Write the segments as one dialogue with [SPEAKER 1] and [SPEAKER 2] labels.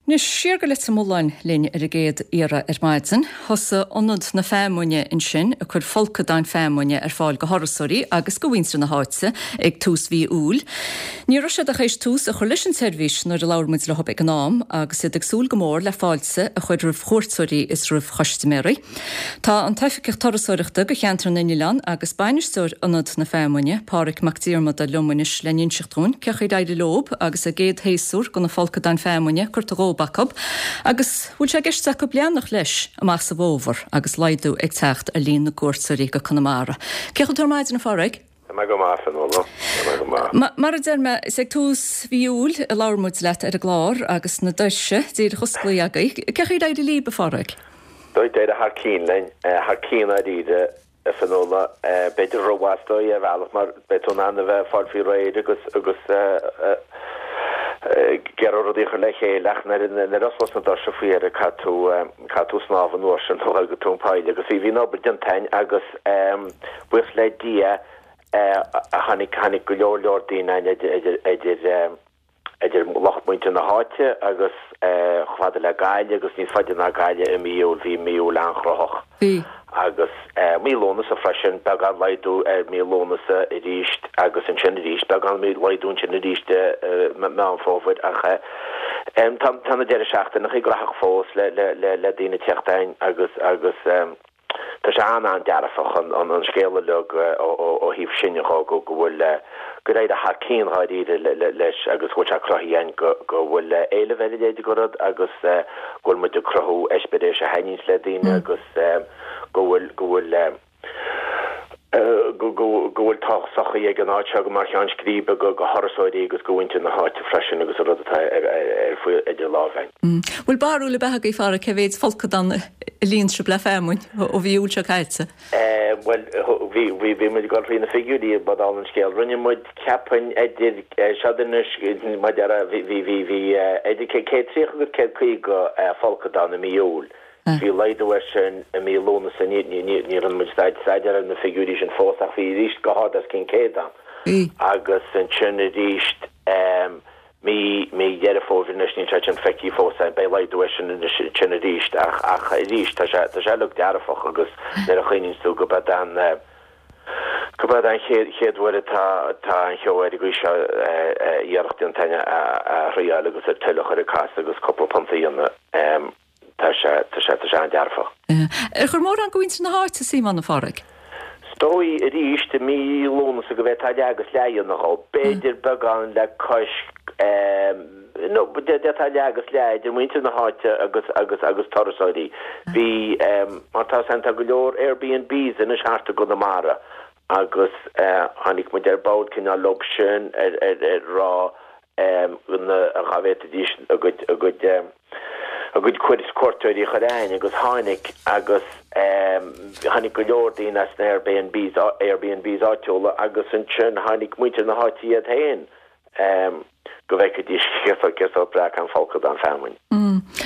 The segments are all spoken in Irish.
[SPEAKER 1] Anois, siar go Leitir Mealláin linn ar an gcéad iarraidh ar maidin. Thosaigh Ionad na Feamainne ansin ag cur folcadáin feamainne ar fáil go thurasóirí agus go mhuintir na háite ag tús mhí Iúil. Ní raibh siad ach théis tús a chur leis an tseirbhís nuair a labhair muid leo ag an am agus iad ag súil go mór le fáilte a chur roimh chuairteoirí is roimh chustaiméirí. Tá an tOifigeach Turasóireachta go Cheantar na nOileán agus Bainisteoir Ionad na Feamainne, Pádhraic Mac Diarmada liom anois le n-inseacht dhúinn cé chaoi ar éirigh leob agus a gcéad shéasúr go na folcadáin feamainne curtha dhób acu agus bhfuil sé i gceist acu leanacht leis amach sa bhfómhar agus laghdú ag teacht ar líon na gcuairteoirí go Conamara. Cén chaoi a bhfuil tú ar maidin, a Phádhraic?
[SPEAKER 2] Tá mé go maith, a Fhionnuala. Tá mé go maith.
[SPEAKER 1] Mar a deir mé, is ag tús mhí Iúil a labhair muid leat ar an gclár agus na doirse díreach osclaithe agaibh. Cé chaoi ar éirigh libh, a Phádhraic?
[SPEAKER 2] D'éirigh thar cionn linn, thar cionn dáiríre, a Fhionnuala. B'fhéidir rómhaith is dóigh ar bhealach mar beidh tú in ann a bheith ag fáil faoi réir agus agus ag iarraidh rudaí a chur le chéile ach nuair a osclós na doirse faoi dheireadh caithfidh tú caithfidh tú snámh an uair sin nó go tóin poill agus bhí an obair déanta againn agus Buíochas le Dia tháinig, tháinig go leor leor daoine ann idir, idir, idir lucht muintir na háite agus chomh fada le Gaillimh agus níos faide ná Gaillimh i mí Iúil, bhí mí Iúil an-chruthach.
[SPEAKER 1] Bhí.
[SPEAKER 2] Agus mí Lúnasa freisin, beagán laghdú ar mí Lúnasa arís agus ansin arís beagán laghdú ansin arís i Meán Fómhair ach tá, tá na deireadh seachtaineacha graitheach fós le, le, le, le daoine ag teacht ann agus, agus. Tá sé an-an-dearfach an scéal uilig ó thaobh sin dho, go bhfuil, gur éirigh thar cionn dháiríre leis agus go bhfuil sé cruthaithe againn go bhfuil éileamh ar a leithéid de rud agus go bhfuil muid ag cruthú eispéireas a thaitníonns le daoine agus go bhfuil, go bhfuil, go bhfuil tábhacht sochaí ag an áit seo mar cheann scríbe go thurasóirí agus go mhuintir na háite freisin agus an rud atá ar faoi idir lámha
[SPEAKER 1] againn. Bhfuil barúil ar bith agaibh a Pháraic cé mhéid folcadán a líon sibh le feamainn ó mhí Iúil seo caite?
[SPEAKER 2] Bhuel, bhí, bhí, bhí muid ag dul thrí na figiúirí ba dála an scéil. Rinne muid, cheapfainn, idir, seo anois, mar a déarfá, bhí, bhí, bhí, bhí idir 130 agus 150 folcadán i mí Iúil. Bhí laghdú air sin i mí Lúnasa, ní rinne muid staidéar ar na figiúirí sin fós ach bhí arís go hard os cionn 100 ann. Agus ansin arís mí mí Dheireadh Fómhair anois, níl sé sin feicthe fós againn, beidh laghdú air sin anois ansin arís ach ach arís tá sé tá sé uilig dearfach agus nuair a chuimhníonns tú go b'ead an go b'ead an chéad chéad uair atá atá an cheo ar an gcaoi seo iarracht déanta againn a a thriáil agus an tuile a chur ag casadh agus cúpla punt a dhéanamh. Tá sé, tá sé, tá sé an-dearfach.
[SPEAKER 1] Ar chuir mórán de mhuintir na háite suim ann, a Pháraic?
[SPEAKER 2] 'S dóigh arís i mí Lúnasa go bhféadfá leath agus leath a dhéanamh dhó. B'fhéidir beagán le cois, nó d'fhéadfá leath agus leath idir muintir na háite agus, agus, agus turasóirí. Bhí, mar tá 'fhios a'inn, tá go leor Airbnbs anois thart i gConamara agus tháinig muid ar bord cineál leob sin ar, ar, ar rá na, dhá bhféadfaidís a gcuid, a gcuid, a gcuid cuairteoirí a chur a'ainn agus tháinig agus tháinig go leor daoine as na Airbnbs, Airbnbs áitiúla agus ansin tháinig muintir na háite iad féin go bhfeicfidís cé chomh breá an folcadán feamainn.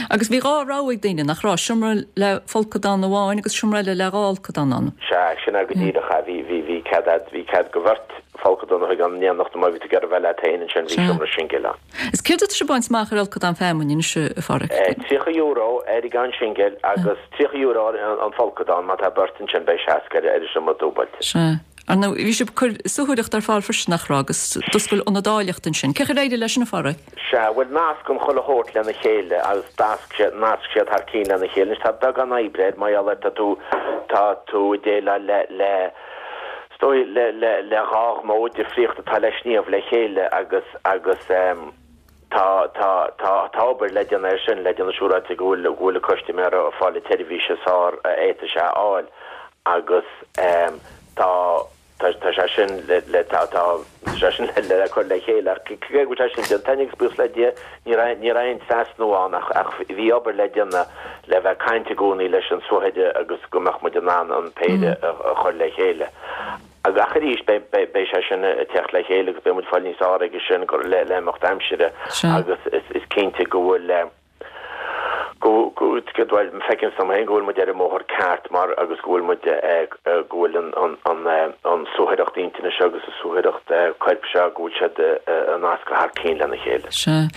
[SPEAKER 1] Agus bhí dhá rogha ag daoine, nach raibh? Seomra le folcadán amháin agus seomra eile le dhá fholcadán ann.
[SPEAKER 2] Sea, sin é go díreach é. Bhí, bhí, bhí cead a'd, bhí cead go bheirt folcadán a thógáil in éineacht nó má bhí tú ag iarraidh bheith leat féin ansin bhí seomra singil ann.
[SPEAKER 1] Is céard atá sibh ag baint amach ar fholcadán feamainne anois, a Pháraic?
[SPEAKER 2] €30 ar an gceann singil agus €30 ar an folcadán, má tá beirt ansin beidh 60 ar an seomra dúbailte.
[SPEAKER 1] Sea. Ar ndóigh, bhí sibh ag cur suathaireacht ar fáil freisin, nach raibh, agus d'oscail ionad áilleachta ansin. Cén chaoi ar éirigh leis sin, a Pháraic?
[SPEAKER 2] Sea, bhuel, nasc an chuile shórt lena chéile agus d'nasc siad, nasc siad thar cinn lena chéile. Anois tá beagán oibre air, mar gheall ar tá tú, tá tú ag déileáil le, le, is dóigh, le, le, le dhá ghnó difríocht atá le sníomh le chéile agus, agus ehm, tá, tá, tá, tá obair le déanamh air sin, le déanamh siúráilte go bhfuil, go bhfuil an custaiméir ag fáil an tseirbhís is fearr a fhéadfaidh sé a fháil agus ehm, Tá, tá, tá sé sin le, le, tá, tá, tá sé sin le, le cur le chéile ach cé go bhfuil sé sin déanta agus buíochas le Dia ní raibh, ní raibh aon trasnú ann ach, ach bhí obair le déanamh le bheith ag caint i gcónaí leis an suathaire agus go mbeadh muid in ann an péire a, a chur le chéile. Ach arís beidh, beidh, beidh sé sin ag teacht le chéile agus beidh muid ag fáil níos fearr aige sin le, le imeacht aimsire agus is, is cinnte go bhfuil, go, go, Buicéad, bhuel, feicim dom féin go bhfuil muid ar an mbóthar ceart mar agus go bhfuil muid, go bhfuil an, an, an, an suathaireacht intinne seo agus an suathaireacht coirp seo, go bhfuil siad ag nascadh thar cinn lena chéile.
[SPEAKER 1] Sea.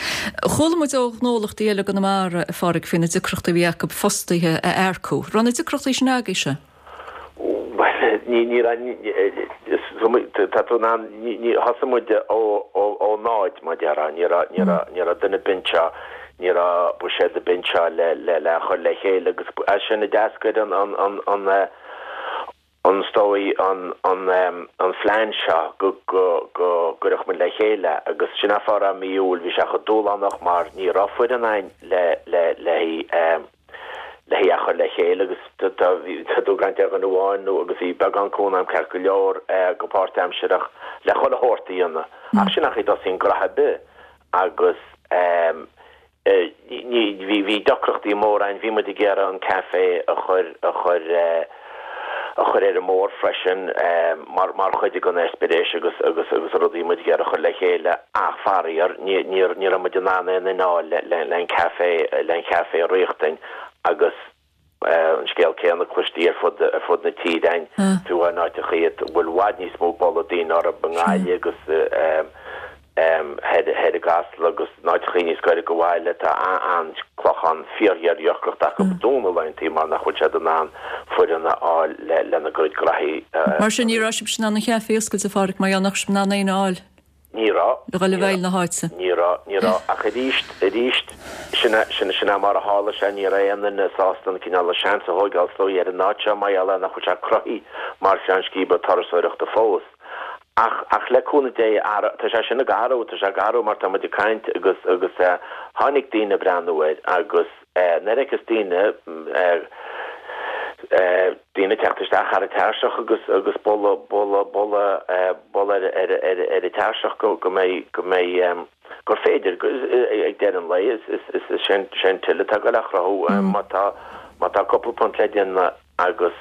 [SPEAKER 1] Chuala muid ó ghnólachtaí eile i gConamara, a Pháraic, faoi na deacrachtaí a bhí acu fostaithe a earcú. Raibh na deacrachtaí sin agaibhse?
[SPEAKER 2] Bhuel, ní, ní raibh, tá tú in ann, ní, ní, thosaigh muid ó, ó, ó náid, mar déarfá, ní raibh, ní raibh, ní raibh duine ar bith anseo, ní raibh buiséad ar bith anseo le, le, le chur le chéile agus as sin a d'eascair an, an, an, an, an, is dóigh, an, an, an phlean seo go, go, go gcuirfeadh muid le chéile agus sin an fáth a raibh mí Iúil, bhí sé chomh dúshlánach mar ní raibh foireann againn le, le, le haghaidh, le hí a chur le chéile agus tá tú ag caint ar dhuine amháin nó agus bhí beagán cúnamh agam ceart go leor go páirtaimsearach le chuile shórt a dhéanamh ach sin an chaoi a dtosaíonn graithe ar bith agus ní bhí bhí deacrachtaí móra ann bhí muid ag iarraidh an café a chur a chur a chur ar an mbóthar freisin mar mar chuid den eispéireas agus agus agus rudaí muid ag iarraidh a chur le chéile ach faraor ní ní ní raibh muid in ann aon duine a fháil le le le an café le an café a riachtain agus an scéal céanna cloistí ar fud ar fud na tíre againn fiú in áiteachaí a bhfuil i bhfad níos mó boladh daoine orthu i nGaillimh agus thoir i gCasla agus in áiteachaí níos gaire go bhaile tá an Clochán fíorghéardheacracht acu ag dúnadh laethantaí mar nach bhfuil siad in ann foireann a fháil lena gcuid graithí
[SPEAKER 1] a Mar sin ní raibh sibhse in ann an chaifé a oscailt a Pháraic mar gheall nach raibh sibh in ann éinne a fháil
[SPEAKER 2] Ní raibh.
[SPEAKER 1] le dhul i bhfeighil na háite.
[SPEAKER 2] Ní raibh, ní raibh ach arís, arís, sin é, sin, sin é mar a tharla sé, ní raibh aon duine sásta an cineál seans a thóigeáil is dóigh ar an áit seo mar gheall ar nach bhfuil sé cruthaithe mar cheann scríbe turasóireachta fós. Ach, ach le cúnamh Dé, tá sé sin ag athrú, tá sé ag athrú mar tá muid ag caint agus, agus tháinig daoine ag breathnú air agus nuair a fheiceas daoine, daoine ag teacht isteach thar an tairseach agus, agus bualadh, bualadh, bualadh, bualadh ar, ar, ar, ar an tairseach go, go mbeidh, go mbeidh, gur féidir, ag deireadh an lae, is, is, is, is sé an till atá ag goil á chruthú má tá, má tá cúpla punt le déanamh. agus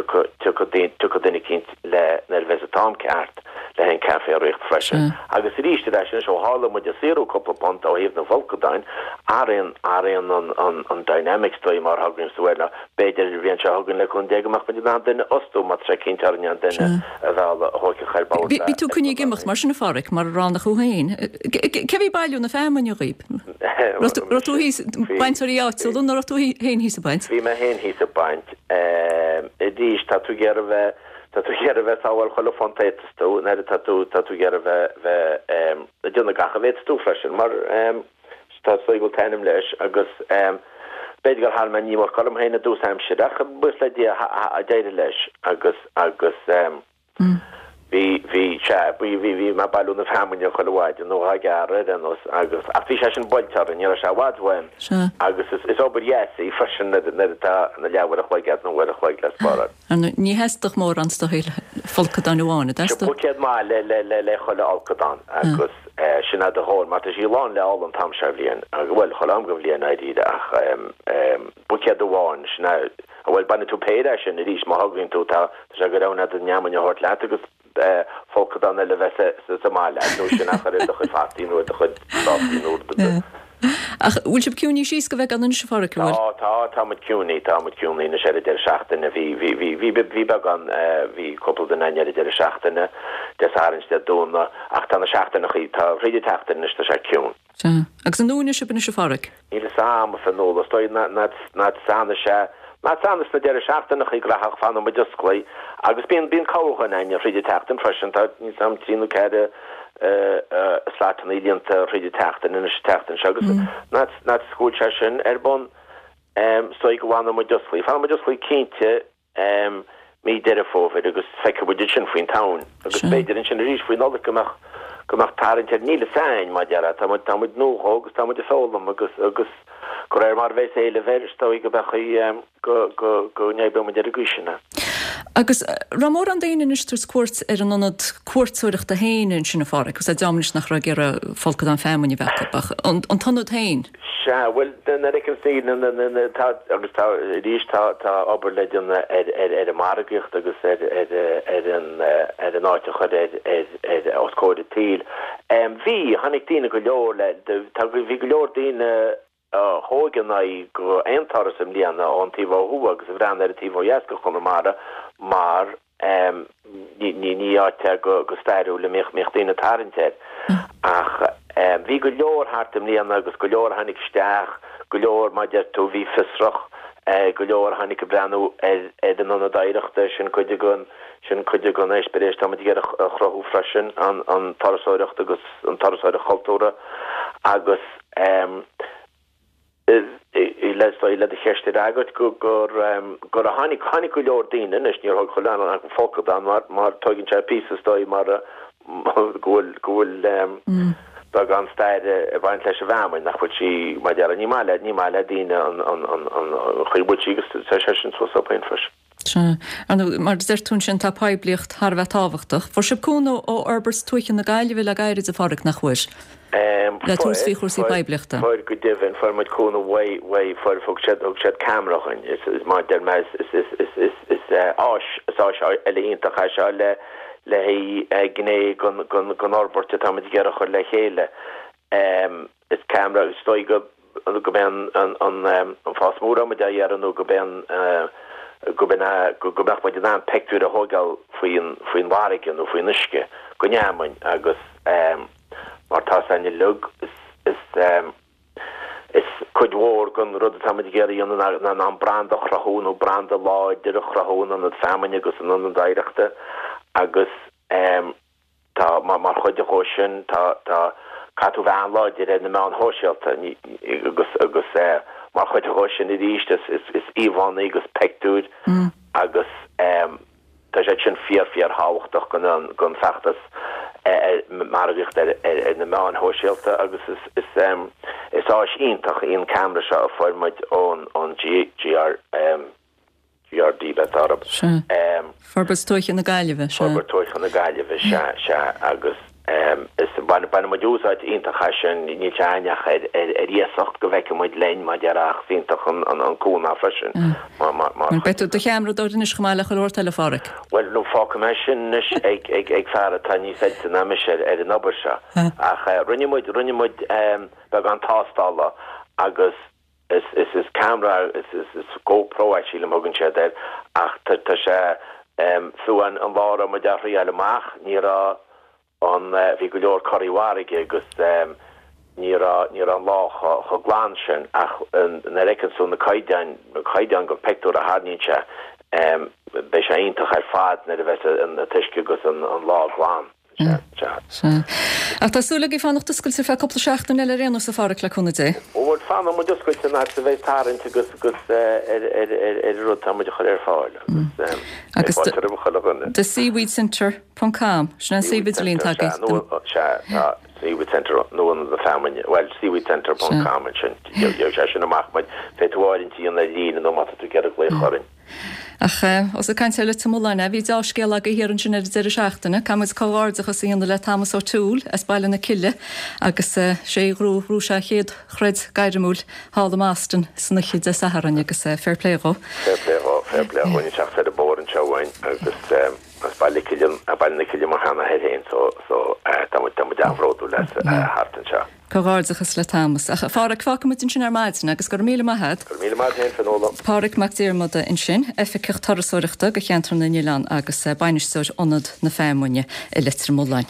[SPEAKER 2] tiocfaidh duine eicínt le nuair a bheas an t-am ceart le an café a ritheacht freisin. Agus arís ar ais anois ó tharla muid ag saothrú cúpla punt ó thaobh na bhfolcadáin, athraíonn athraíonn an an an dynamic is dóigh mar a thugann tú air ná b'fhéidir an bhliain seo chugainn le cúnamh Dé go mbeadh muid in ann duine a fhostú má tá sé cinnte orainn an duine a mhealladh a thóigfeadh ar bord
[SPEAKER 1] Bhí tú coinnithe ag imeacht mar sin a Pháraic mar a ráineodh thú féin. Cé a bhí ag bailiú na feamainne dhaoib? Raibh tú thíos, bainteoirí áitiúla nó raibh tú féin thíos ag baint?
[SPEAKER 2] Bhí mé féin thíos ag baint. Arís, tá tú ag iarraidh bheith, tá tú ag iarraidh bheith sábháil chuile phunt a fhéadfas tú, nuair atá tú, tá tú ag iarraidh bheith, bheith ag déanamh gach a bhféadfas tú freisin, mar tá is dóigh go bhfuil t-ainm leis agus b'fhéidir gur tharraing mé an iomarca orm féin i dtús aimsire ach buíochas le Dia d'éirigh leis agus, agus. Bhí, bhí, sea, bhí, bhí, bhí mé ag bailiú na feamainne chuile mhaidin nó dhá gearradh ar aon nós agus, ach bhí sé sin buailte orainn, ní raibh sé i bhfad uaim
[SPEAKER 1] Sea.
[SPEAKER 2] agus is, is obair dheas í freisin nuair, nuair atá na leathuair a chloig agat nó uair a chloig le spáráil.
[SPEAKER 1] Ar ndóigh, ní theastódh mórán is dóigh le folcadán amháin, an
[SPEAKER 2] Sea,
[SPEAKER 1] dteastódh?
[SPEAKER 2] buicéad maith le, le, le, le chuile fholcadán agus eh, sin é do dhóthain mar tá sí lán le ola an t-am seo bhliain, bhuel, chuile am den bhliain dáiríre ach em, em, buicéad amháin, sin é, Bhuel, bainfidh tú péire as sin arís má thograíonn tú. Tá sé go rogha agat an fheamainn a thabhairt leat agus folcadán eile a bheith sa mbaile agat nó sin a chur ar do chuid fataí nó ar do chuid prátaí nó rud ar bith.
[SPEAKER 1] Ach bhfuil sibh ciúnaithe síos go bheagán anois, a Pháraic, an bhfuil?
[SPEAKER 2] Tá, tá, tá muid ciúnaithe, tá muid ciúnaithe anois ar an deireadh seachtaine. Bhí, bhí, bhí, bhí, bhí beagán, bhí cúpla duine againn ar an deireadh seachtaine, Dé Sathairn is Dé Domhnaigh, ach tá na seachtaineachaí, tá thríd an tseachtain anois tá sé ciúin.
[SPEAKER 1] Sea. Agus an ndúnfaidh sibh anois a Pháraic?
[SPEAKER 2] Níl fhios a'm, a Fionnuala. Is dóigh nach fanfaidh sé, nach fanfaidh sna deireadh seachtaineachaí graitheach, fanfaidh muid osclaithe. Agus bíonn, bíonn cabhair againn thríd an tseachtain freisin. Tá, níl fhios a'm, trí nó ceithre slotannaí líonta thríd an tseachtain anois an tseachtain seo agus nach, nach go bhfuil sé sin ar bun, is dóigh go bhfanfaidh muid osclaithe. Fanfaidh muid osclaithe cinnte. mí Deireadh Fómhair agus feicfidh muid ansin faoin tSamhain agus b'fhéidir ansin arís faoi Nollaig go mbeadh go mbeadh tarraingt air. Níl fhios a'inn, mar a déarfá, tá muid tá muid nua dhó agus tá muid ag foghlaim agus agus de réir mar a bheas éileamh air is dóigh go mbeadh go go go n-oibreoidh muid ar an gcaoi sin é.
[SPEAKER 1] Agus raibh mórán daoine anois ag tabhairt cuairt ar an ionad cuairteoireachta féin ansin a Pháraic, agus deirim anois nach raibh ag iarraidh folcadán feamainne a bheith acu ach an t-ionad féin?
[SPEAKER 2] Sea, bhuel, nuair a fheiceann daoine na, na, na, tá, agus tá, arís, tá, tá obair le déanamh ar, ar, ar an margaíocht agus ar, ar, ar an, ar an áit a chur ar, ar, ar, os comhair an tsaoil. Bhí, tháinig daoine go leor le, tá, bhí go leor daoine. a thóg a n-aghaidh go aon turas i mbliana ón taobh ó thuaidh agus a bhreathnaigh ar an taobh ó dheas de Chonamara mar ní áit é go stairiúil a mbíodh daoine ag tarraingt air. Ach bhí go leor thart i mbliana agus go leor a tháinig isteach, go leor mar a deir tú a bhí fiosrach, go leor a tháinig ag breathnú ar an ionad oidhreachta, sin cuid den sin cuid den eispéireas atá muid ag iarraidh a chruthú freisin, an turasóireacht agus an turasóireacht chultúrtha agus. Le do cheist a fhreagairt, gur gur tháinig tháinig go leor daoine anois, níor thóg chuile dhuine acu folcadán mar mar tóigeann sé píosa is dóigh mar go bhfuil go bhfuil beagán staire ag baint leis an bhfeamainn nach bhfuil sí mar a déarfá ní maith le ní maith le daoine an an an an chaoi a bhfuil sí agus tá sé sin suas orthu féin
[SPEAKER 1] freisin. Sea. Ar ndóigh, mar a deir tú ansin, tá poiblíocht thar a bheith tábhachtach. Fuair sibh cúnamh ó Fhorbairt Tuaithe na Gaillimhe le gairid, a Pháraic, nach bhfuair? Le tabhairt faoi chúrsaí poiblíochta.
[SPEAKER 2] Fuair, go deimhin. Fuair muid cúnamh uaidh, uaidh, fuair, thug siad, thug siad ceamara dhuinn. Is, is, mar a deir mé, is, is, is, is, is, is áis, is áis eile iontach é seo le, le haghaidh gné den, den, den fhorbairt atá muid ag iarraidh a chur le chéile. Is ceamara, is dóigh go go mbeidh an an fás mór atá muid á iarraidh nó go mbeidh an go mbeidh go mbeadh muid in ann peictiúir a thógáil faoin faoin bhfarraige nó faoin uisce den fheamainn agus mar tá 's againn uilig is is is cuid mhór den rud atá muid ag iarraidh a dhéanamh ná ná an branda a chruthú nó branda láidir a chruthú in ionad feamainne agus in ionad oidhreachta agus Tá, mar chuid dhó sin, tá, tá, caithfidh tú bheith an-láidir ar na meáin shóisialta agus, agus mar chuid dhó sin arís is, is, is íomhánna agus peictiúir agus tá siad sin fíor, fíor thábhachtach don, don feachtas margaíochta ar, ar, ar na meáin shóisialta agus is, is, is áis iontach í an ceamara seo a fuair muid ón, ón G, GR. GRD bheith orthu.
[SPEAKER 1] Sea. Forbairt Tuaithe na Gaillimhe,
[SPEAKER 2] sea. Forbairt Tuaithe na Gaillimhe, sea, sea, agus is baineann muid úsáid iontach as sin, níl sé againn ach ar ar iasacht go bhfeicfidh muid linn mar a déarfá ach is iontach an an cúnamh freisin
[SPEAKER 1] mar mar mar Beidh tú do cheamaradóir anois chomh maith le chuile shórt eile, a Pháraic.
[SPEAKER 2] Bhuel, no, fágfaidh mé sin anois ag ag ag fear atá níos oilte ná mise ar ar an obair seo. Ach rinne muid rinne muid beagán tástála agus Is is is ceamara is is is GoPro é sílim a thugann siad air ach tá tá sé fiú an an lá a raibh muid á thriáil amach ní raibh an bhí go leor corraí farraige agus ní raibh ní raibh an lá chomh chomh glan sin ach nuair a fheiceann tú na caighdeáin na caighdeáin den phictiúr a tharraingíonn sé beidh sé iontach ar fad nuair a bheas an t-uisce agus an an lá glan.
[SPEAKER 1] Sea, sea. Sea. Ach tá súil agaibh fanacht oscailte ar feadh cúpla seachtain eile ar aon nós, a Pháraic, le cúnamh Dé.
[SPEAKER 2] Ó bhuel, fanfaidh muid oscailte an fhad is a bheidh tarraingt agus agus ar ar ar ar an rud atá muid a chur ar fáil agus
[SPEAKER 1] Agus fáilte roimh chuile dhuine. The Seaweed Centre ponc com, sin an suíomh idirlín atá
[SPEAKER 2] agaibh. Sea, nó, sea, tá Seaweed Centre nó Ionad na Feamainne, bhuel, seaweedcentre ponc com ansin, gheobhaidh sé sin amach muid, féadfaidh tú áirithint a dhéanamh ar líne nó má tá tú ag iarraidh glaoch orainn.
[SPEAKER 1] Ach ós ag caint ar Leitir Mealláin, bhí deá-scéal agaibh thiar ansin ar an deireadh seachtaine. Caithfidh muid comhghairdeachas a dhéanamh le Thomas O'Toole as Baile na Cille agus sé a ghnóthaigh, ghnóthaigh sé a chéad chroid gairmiúil thall i mBoston san oíche Dé Sathairn agus fair play dhó.
[SPEAKER 2] Fair play dhó, fair play dhó. Níl sé ach ar an bóthar anseo uainn agus as Baile Cille, Baile na Cille mar sheanathair féin so, so tá muid, tá muid an-bhródúil as thart anseo.
[SPEAKER 1] Comhghairdeachas le Thomas. Ach a Pháraic, fágfaidh muid ansin ar maidin agus go raibh míle maith a't.
[SPEAKER 2] Go raibh míle maith a't féin, Fionnuala.
[SPEAKER 1] Páraic Mac Diarmada ansin, Oifigeach Turasóireachta do Cheantar na nOileán agus Bainisteoir Ionad na Feamainne i Leitir Mealláin.